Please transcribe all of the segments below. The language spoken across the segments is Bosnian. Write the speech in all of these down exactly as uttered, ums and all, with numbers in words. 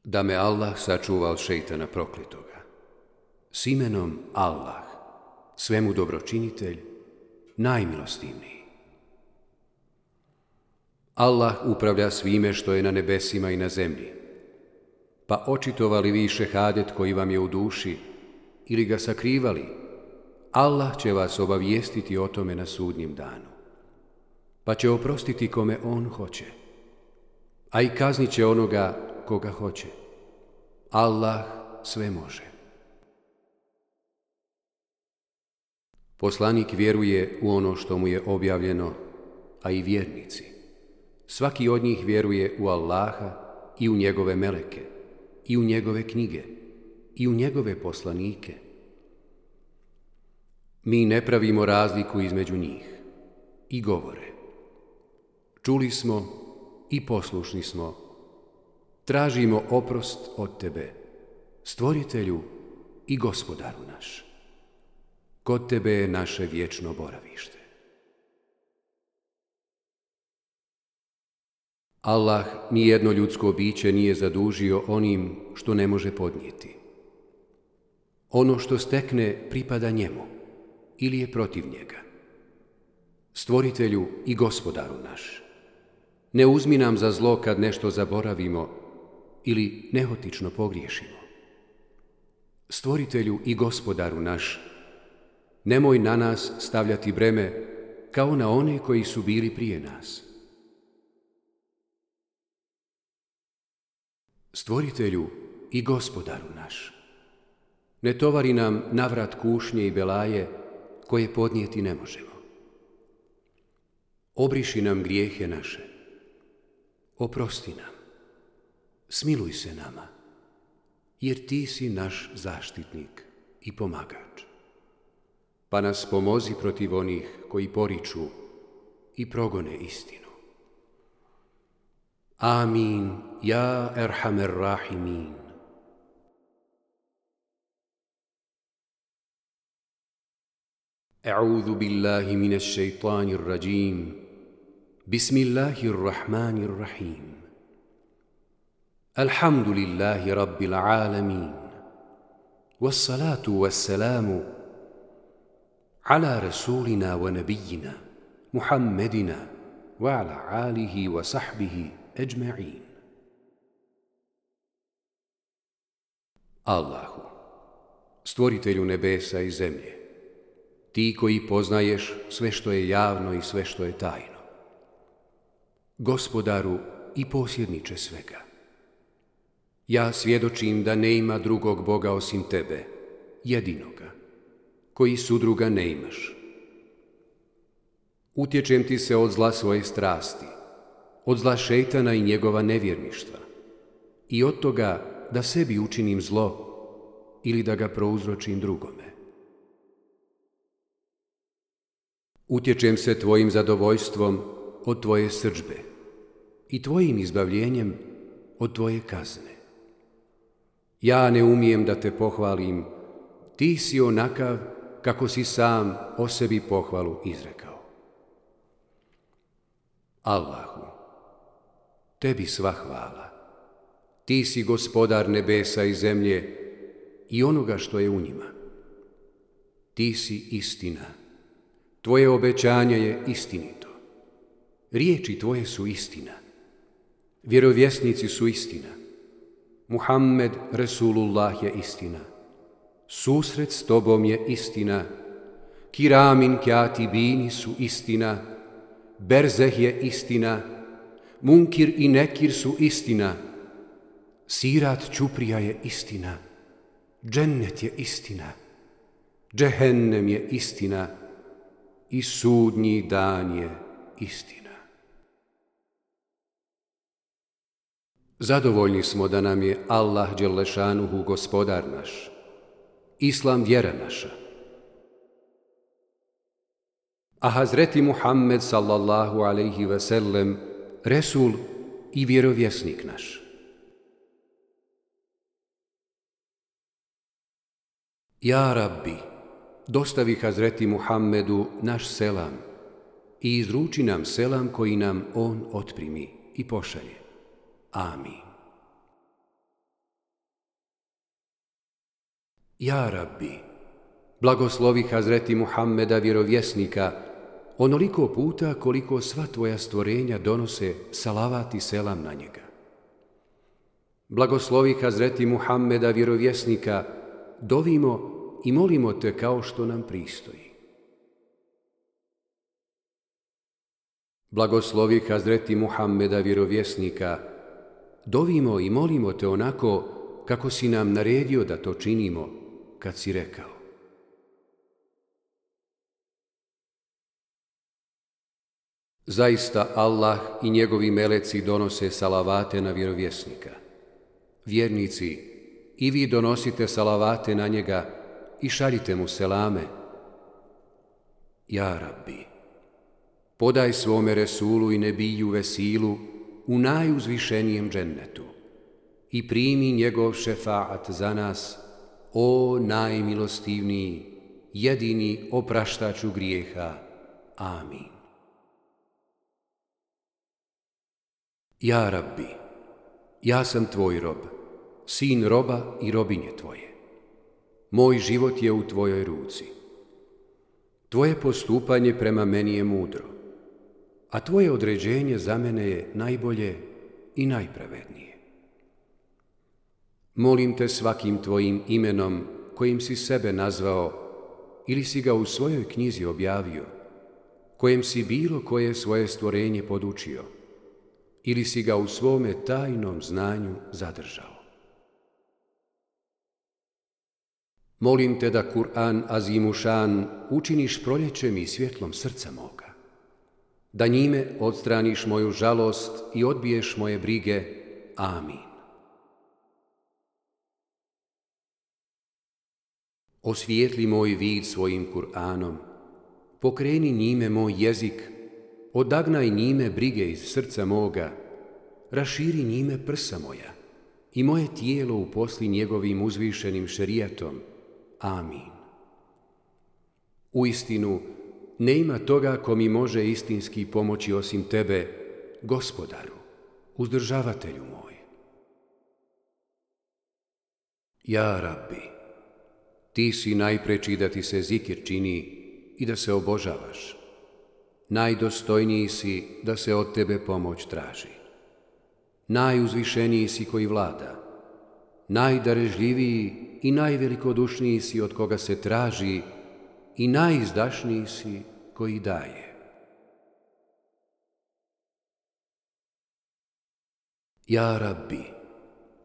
Da me Allah sačuva od šejtana prokletoga. S imenom Allah, svemu dobročinitelj, najmilostivniji. Allah upravlja svime što je na nebesima i na zemlji. Pa očitovali vi šehadet koji vam je u duši ili ga sakrivali, Allah će vas obavijestiti o tome na sudnjem danu. Pa će oprostiti kome on hoće, a i kaznit će onoga koga hoće. Allah sve može. Poslanik vjeruje u ono što mu je objavljeno, a i vjernici. Svaki od njih vjeruje u Allaha i u njegove meleke, i u njegove knjige, i u njegove poslanike. Mi ne pravimo razliku između njih i govore: čuli smo i poslušni smo, tražimo oprost od tebe, stvoritelju i gospodaru naš. Kod tebe je naše vječno boravište. Allah nijedno ljudsko biće nije zadužio onim što ne može podnijeti. Ono što stekne pripada njemu ili je protiv njega. Stvoritelju i gospodaru naš, ne uzmi nam za zlo kad nešto zaboravimo ili nehotično pogriješimo. Stvoritelju i gospodaru naš, nemoj na nas stavljati breme kao na one koji su bili prije nas. Stvoritelju i gospodaru naš, ne tovari nam navrat kušnje i belaje koje podnijeti ne možemo. Obriši nam grijehe naše, oprosti nam, smiluj se nama, jer ti si naš zaštitnik i pomagač. Pa nas pomozi protiv onih koji poriču i progone istinu. Amin, ja erhamer rahimin. A'udhu billahi minash shaitanir rajim. Bismillahir rahmanir rahim. Alhamdulillahi rabbil alamin. Wassalatu wassalamu ala rasulina wa nabiyina Muhammedina wa ala alihi wa sahbihi ajma'in. Allahu, stvoritelju nebesa i zemlje, ti koji poznaješ sve što je javno i sve što je tajno, gospodaru i posjedniče svega, ja svjedočim da ne ima drugog Boga osim tebe, jedinoga, koji sudruga ne imaš. Utječem ti se od zla svoje strasti, od zla šejtana i njegova nevjerništva, i od toga da sebi učinim zlo ili da ga prouzročim drugome. Utječem se tvojim zadovoljstvom od tvoje srdžbe i tvojim izbavljenjem od tvoje kazne. Ja ne umijem da te pohvalim, ti si onakav kako si sam o sebi pohvalu izrekao. Allahu, tebi sva hvala, ti si gospodar nebesa i zemlje i onoga što je u njima. Ti si istina, tvoje obećanje je istinito, riječi tvoje su istina, vjerovjesnici su istina, Muhammed Resulullah je istina, susret s tobom je istina, kiramin kjatibini su istina, berzeh je istina, munkir i nekir su istina, sirat čuprija je istina, džennet je istina, džehennem je istina i sudnji dan je istina. Zadovoljni smo da nam je Allah dželešanuhu gospodar naš, Islam vjera naša, a Hazreti Muhammed sallallahu alejhi ve sellem Resul i vjerovjesnik naš. Ja Rabbi, dostavi Hazreti Muhammedu naš selam i izruči nam selam koji nam on otprimi i pošalje. Amin. Ja Rabbi, blagoslovi Hazreti Muhammeda vjerovjesnika onoliko puta koliko sva tvoja stvorenja donose salavat i selam na njega. Blagoslovi Hazreti Muhammeda vjerovjesnika, dovimo i molimo te kao što nam pristoji. Blagoslovi Hazreti Muhammeda vjerovjesnika, dovimo i molimo te onako kako si nam naredio da to činimo, kad si rekao: Zaista Allah i njegovi meleci donose salavate na vjerovjesnika. Vjernici, i vi donosite salavate na njega i šaljite mu selame. Ja Rabbi, podaj svome Resulu i Nebiju vesilu u najuzvišenijem džennetu i primi njegov šefaat za nas, o najmilostivniji, jedini opraštaču grijeha. Amin. Ja Rabbi, ja sam tvoj rob, sin roba i robinje tvoje. Moj život je u tvojoj ruci. Tvoje postupanje prema meni je mudro, a tvoje određenje za mene je najbolje i najpravednije. Molim te svakim tvojim imenom kojim si sebe nazvao ili si ga u svojoj knjizi objavio, kojem si bilo koje svoje stvorenje podučio, ili si ga u svome tajnom znanju zadržao. Molim te da Kur'an Azimušan učiniš proljećem i svjetlom srca moga, da njime odstraniš moju žalost i odbiješ moje brige. Amin. Osvijetli moj vid svojim Kur'anom, pokreni njime moj jezik, odagnaj njime brige iz srca moga, raširi njime prsa moja i moje tijelo uposli njegovim uzvišenim šerijatom. Amin. Uistinu, nema toga ko mi može istinski pomoći osim tebe, Gospodaru, uzdržavatelju moj. Ja Rabbi, ti si najpreči da ti se zikir čini i da se obožavaš. Najdostojniji si da se od tebe pomoć traži. Najuzvišeniji si koji vlada, najdarežljiviji i najvelikodušniji si od koga se traži i najizdašniji si koji daje. Ja Rabbi,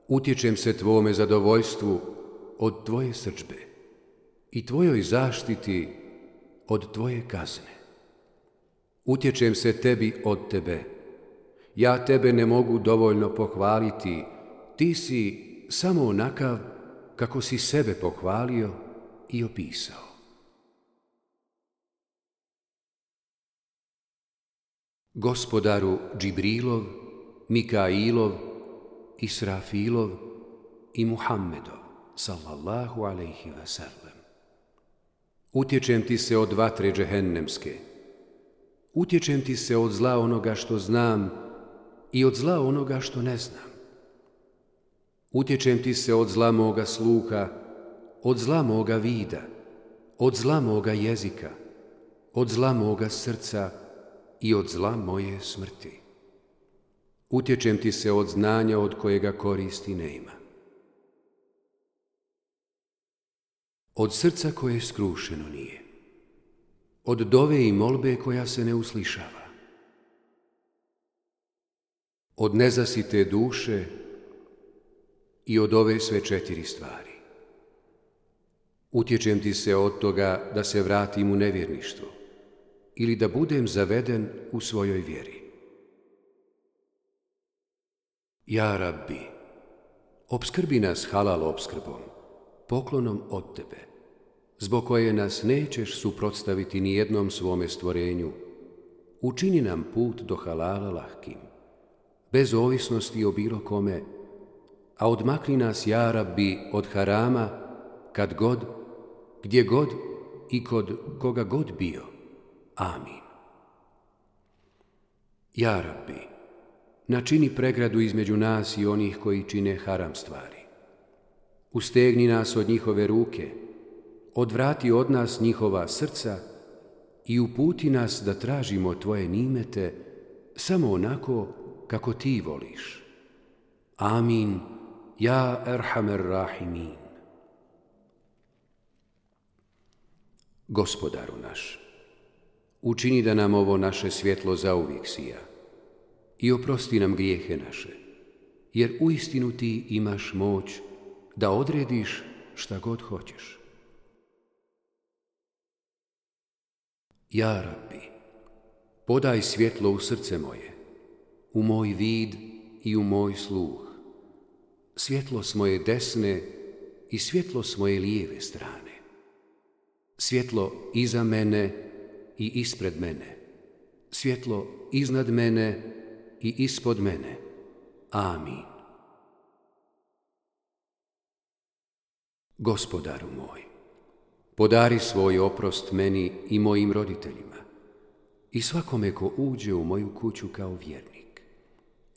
utječem se tvome zadovoljstvu od tvoje srdžbe i tvojoj zaštiti od tvoje kazne. Utječem se tebi od tebe. Ja tebe ne mogu dovoljno pohvaliti, ti si samo onakav kako si sebe pohvalio i opisao. Gospodaru Džibrilov, Mikailov, Israfilov i Muhammedov, sallallahu alejhi ve sellem. Utječem ti se od vatre džehennemske. Utječem ti se od zla onoga što znam i od zla onoga što ne znam. Utječem ti se od zla moga sluha, od zla moga vida, od zla moga jezika, od zla moga srca i od zla moje smrti. Utječem ti se od znanja od kojega koristi nema. Od srca koje skrušeno nije. Od dove i molbe koja se ne uslišava. Od nezasite duše i od ove sve četiri stvari. Utječem ti se od toga da se vratim u nevjerništvo ili da budem zaveden u svojoj vjeri. Ja Rabbi, opskrbi nas halal opskrbom, poklonom od tebe, zbog koje nas nećeš suprotstaviti ni jednom svome stvorenju. Učini nam put do halala lahkim, bez ovisnosti o bilo kome, a odmakni nas, ja Rabbi, od harama, kad god, gdje god i kod koga god bio. Amin. Ja Rabbi, načini pregradu između nas i onih koji čine haram stvari. ustegni nas od njihove ruke, odvrati od nas njihova srca i uputi nas da tražimo tvoje nimete samo onako kako ti voliš. Amin, ja erhamer rahimin. Gospodaru naš, učini da nam ovo naše svjetlo zauvijek sija i oprosti nam grijehe naše, jer uistinu ti imaš moć da odrediš šta god hoćeš. Ja Rabbi, podaj svjetlo u srce moje, u moj vid i u moj sluh, svjetlo s moje desne i svjetlo s moje lijeve strane, svjetlo iza mene i ispred mene, svjetlo iznad mene i ispod mene. Amin. Gospodaru moj, podari svoj oprost meni i mojim roditeljima i svakome ko uđe u moju kuću kao vjernik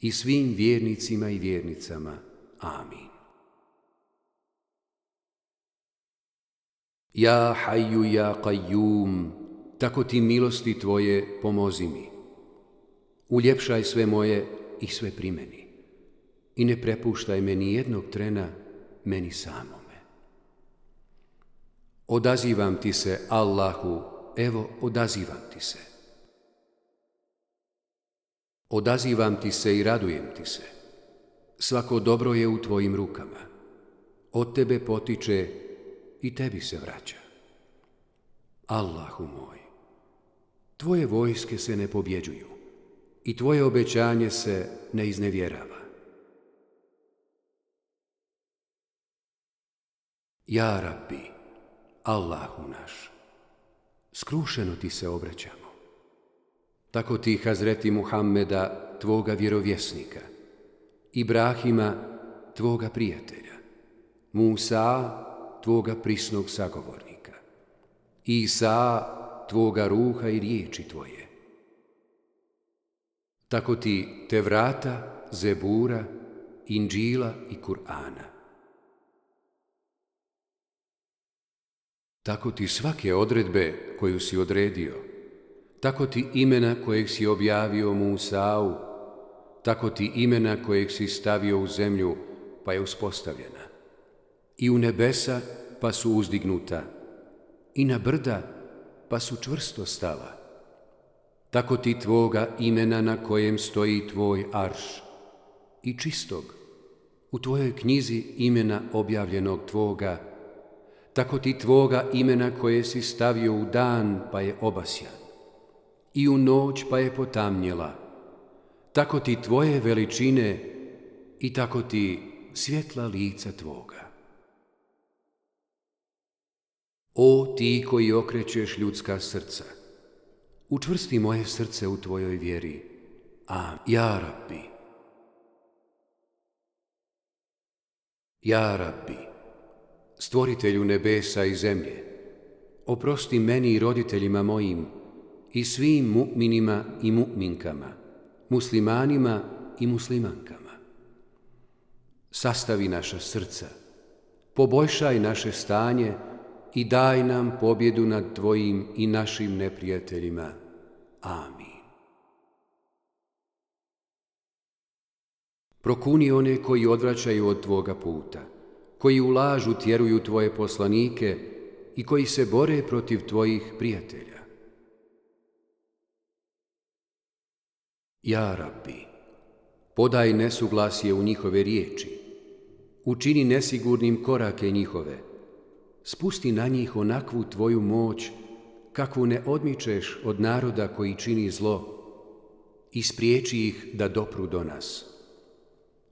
i svim vjernicima i vjernicama. Amin. Ja Hayyu ja Qayyum, tako ti milosti tvoje pomozi mi. Uljepšaj sve moje i sve primeni i ne prepuštaj me ni jednog trena meni samome. Odazivam ti se, Allahu, evo odazivam ti se. Odazivam ti se i radujem ti se. Svako dobro je u tvojim rukama. Od tebe potiče i tebi se vraća. Allahu moj, tvoje vojske se ne pobjeđuju i tvoje obećanje se ne iznevjerava. Ja Rabbi, Allahu naš, skrušeno ti se obraćamo. Tako ti Hazreti Muhammeda, tvoga vjerovjesnika, Ibrahima, tvoga prijatelja, Musa, tvoga prisnog sagovornika, Isa, tvoga ruha i riječi tvoje. Tako ti Tevrata, Zebura, Inđila i Kur'ana. Tako ti svake odredbe koju si odredio, tako ti imena kojeg si objavio Musau, tako ti imena kojeg si stavio u zemlju pa je uspostavljena, i u nebesa pa su uzdignuta, i na brda pa su čvrsto stala. Tako ti tvoga imena na kojem stoji tvoj arš, i čistog, u tvojoj knjizi imena objavljenog tvoga, tako ti tvoga imena koje si stavio u dan pa je obasjan, i u noć pa je potamnjela, tako ti tvoje veličine i tako ti svjetla lica tvoga. O ti koji okrećeš ljudska srca, učvrsti moje srce u tvojoj vjeri. Amin. Ja Rabbi. Ja Rabbi, stvoritelju nebesa i zemlje, oprosti meni i roditeljima mojim i svim mu'minima i mu'minkama, muslimanima i muslimankama. Sastavi naša srca, poboljšaj naše stanje i daj nam pobjedu nad tvojim i našim neprijateljima. Amin. Prokuni one koji odvraćaju od tvoga puta, koji u lažu tjeruju tvoje poslanike i koji se bore protiv tvojih prijatelja. Ja Rabbi, podaj nesuglasje u njihove riječi, učini nesigurnim korake njihove, spusti na njih onakvu tvoju moć kakvu ne odmičeš od naroda koji čini zlo i spriječi ih da dopru do nas.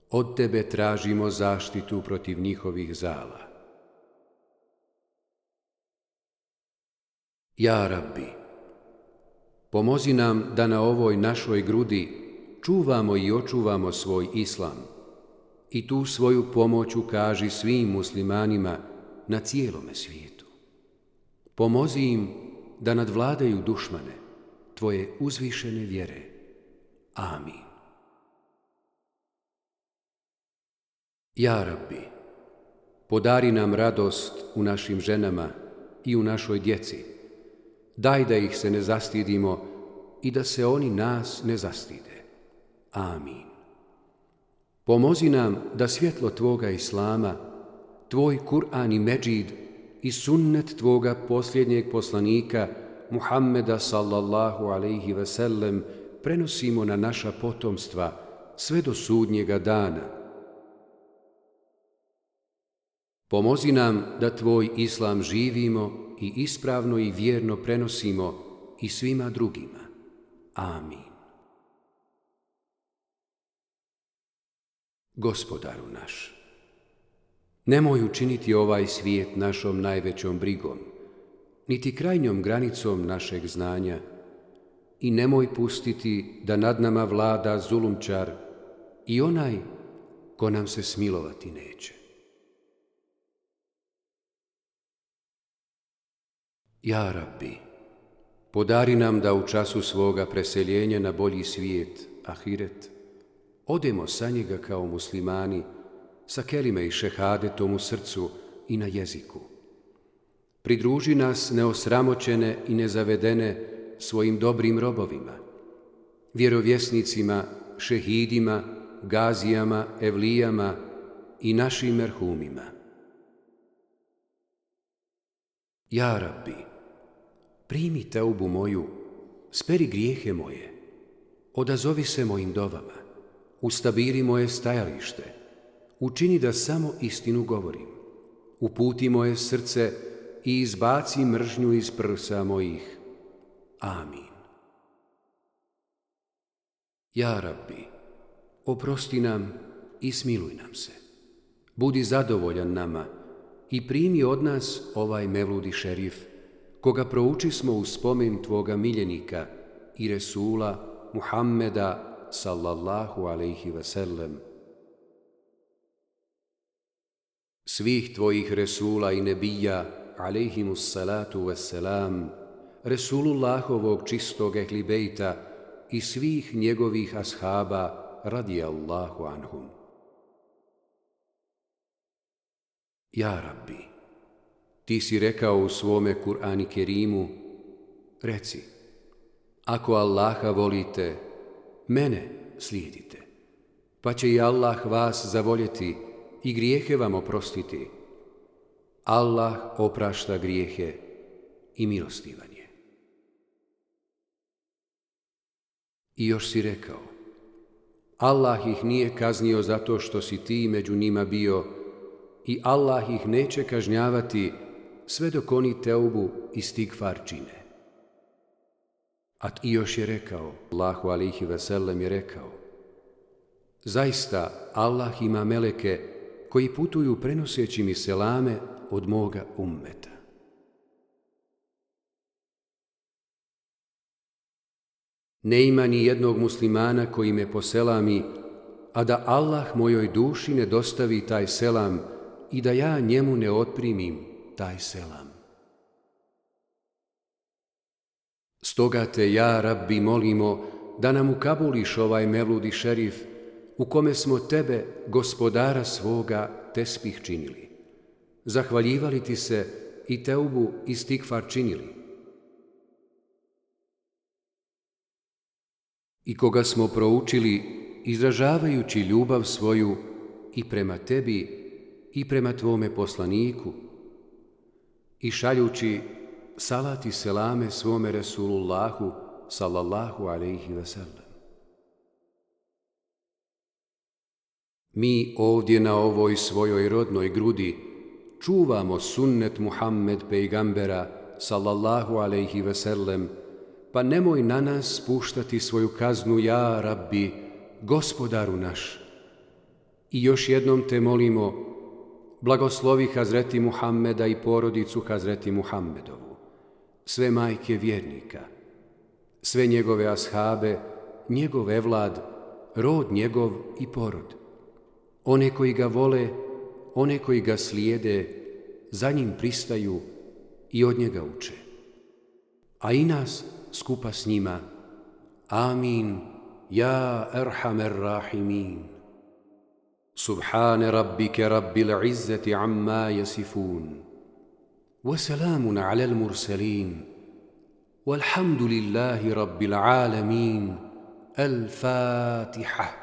Od tebe tražimo zaštitu protiv njihovih zala. Ja Rabbi, pomozi nam da na ovoj našoj grudi čuvamo i očuvamo svoj islam i tu svoju pomoć ukaži svim muslimanima na cijelome svijetu. Pomozi im da nadvladaju dušmane tvoje uzvišene vjere. Amin. Ja Rabbi, Podari nam radost u našim ženama i u našoj djeci. Daj da ih se ne zastidimo i da se oni nas ne zastide. Amin. Pomozi nam da svjetlo Tvoga Islama, Tvoj Kur'an i Medžid i sunnet Tvoga posljednjeg poslanika Muhammeda sallallahu alejhi ve sellem prenosimo na naša potomstva sve do sudnjega dana. Pomozi nam da Tvoj Islam živimo i ispravno i vjerno prenosimo i svima drugima. Amin. Gospodaru naš, nemoj učiniti ovaj svijet našom najvećom brigom, niti krajnjom granicom našeg znanja, i nemoj pustiti da nad nama vlada zulumčar i onaj ko nam se smilovati neće. Ja Rabbi, podari nam da u času svoga preseljenja na bolji svijet, ahiret, odemo sa njega kao muslimani, sa kelime i šehadetom u srcu i na jeziku. Pridruži nas neosramoćene i nezavedene svojim dobrim robovima, vjerovjesnicima, šehidima, gazijama, evlijama i našim merhumima. Ja Rabbi, primi teubu moju, speri grijehe moje, odazovi se mojim dovama, ustabiri moje stajalište, učini da samo istinu govorim, uputi moje srce i izbaci mržnju iz prsa mojih. Amin. Ja Rabbi, oprosti nam i smiluj nam se. Budi zadovoljan nama i primi od nas ovaj Mevludi šerif, koga proučismo u spomen Tvoga miljenika i Resula Muhammeda sallallahu alejhi ve sellem. Svih Tvojih Resula i Nebija alejhimus salatu vesselam, Resulullahovog čistog ehli bejta i svih njegovih ashaba radijallahu anhum. Ja Rabbi, Ti si rekao u svome Kur'ani Kerimu, reci, ako Allaha volite, mene slijedite, pa će i Allah vas zavoljeti i grijehe vam oprostiti. Allah oprašta grijehe i milostivan je. I još si rekao, Allah ih nije kaznio zato što si ti među njima bio i Allah ih neće kažnjavati sve dok oni teubu i stigfar čine. A i još je rekao, Allahu alejhi ve sellem je rekao, zaista Allah ima meleke koji putuju prenoseći mi selame od moga ummeta. Ne ima ni jednog muslimana koji me poselami, a da Allah mojoj duši ne dostavi taj selam i da ja njemu ne otprimim taj selam. Stoga te, ja Rabbi, molimo da nam ukabuliš ovaj Mevludi šerif u kome smo tebe, gospodara svoga, tespih činili, zahvaljivali ti se i teubu i stigfar činili. I koga smo proučili izražavajući ljubav svoju i prema tebi i prema tvome poslaniku i šaljući salat i selame svome Resulullahu sallallahu alejhi ve sellem. Mi ovdje na ovoj svojoj rodnoj grudi čuvamo sunnet Muhammed pejgambera sallallahu alejhi ve sellem, pa nemoj na nas spuštati svoju kaznu, ja Rabbi, gospodaru naš. I još jednom te molimo, blagoslovi Hazreti Muhammeda i porodicu Hazreti Muhammedovu, sve majke vjernika, sve njegove ashabe, njegov evlad, rod njegov i porod, one koji ga vole, one koji ga slijede, za njim pristaju i od njega uče. A i nas skupa s njima. Amin, ja erhamer rahimin. سبحان ربك رب العزة عما يصفون وسلام على المرسلين والحمد لله رب العالمين. الفاتحة.